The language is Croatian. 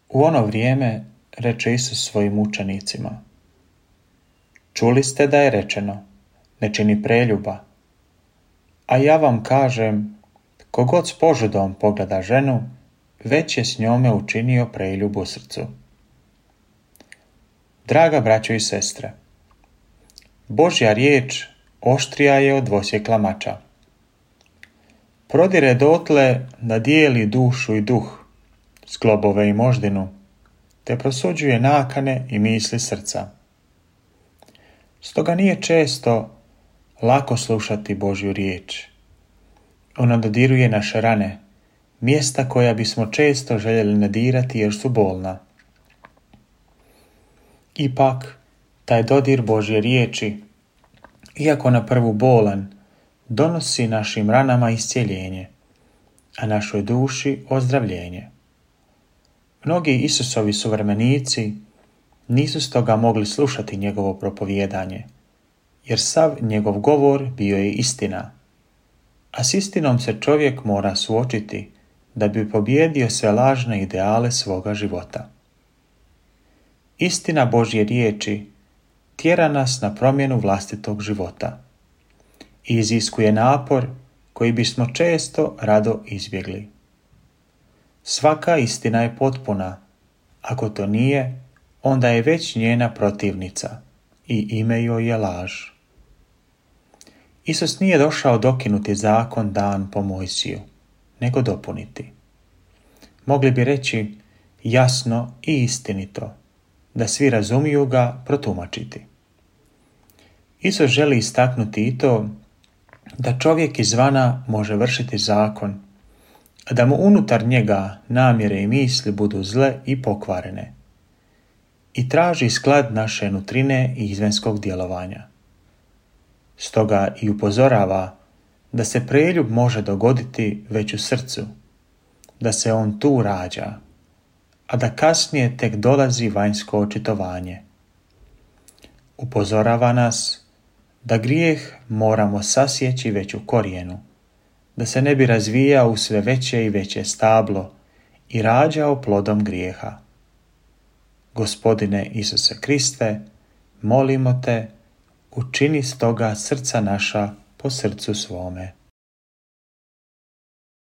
U ono vrijeme reče Isus svojim učenicima: Čuli ste da je rečeno, ne čini preljuba. A ja vam kažem, kogod s požudom pogleda ženu, već je s njome učinio preljub u srcu. Draga braćo i sestre, Božja riječ oštrija je od dvosjekla mača. Prodire dotle da dijeli dušu i duh, sklobove i moždinu, te prosuđuje nakane i misli srca. Stoga nije često lako slušati Božju riječ. Ona dodiruje naše rane, mjesta koja bismo često željeli ne dirati jer su bolna. Ipak, taj dodir Božje riječi, iako na prvu bolan, donosi našim ranama iscjeljenje, a našoj duši ozdravljenje. Mnogi Isusovi suvremenici nisu stoga mogli slušati njegovo propovijedanje, jer sav njegov govor bio je istina, a s istinom se čovjek mora suočiti da bi pobijedio sve lažne ideale svoga života. Istina Božje riječi tjera nas na promjenu vlastitog života i iziskuje napor koji bismo često rado izbjegli. Svaka istina je potpuna, ako to nije, onda je već njena protivnica i ime joj je laž. Isus nije došao dokinuti zakon dan po Mojsiju, nego dopuniti. Mogli bi reći jasno i istinito, da svi razumiju ga protumačiti. Isus želi istaknuti i to da čovjek izvana može vršiti zakon, a da mu unutar njega namjere i misli budu zle i pokvarene, i traži sklad naše nutrine i izvanjskog djelovanja. Stoga i upozorava da se preljub može dogoditi već u srcu, da se on tu rađa, a da kasnije tek dolazi vanjsko očitovanje. Upozorava nas da grijeh moramo sasjeći već u korijenu, da se ne bi razvijao u sve veće i veće stablo i rađao plodom grijeha. Gospodine Isuse Kriste, molimo te, učini stoga srca naša po srcu svome.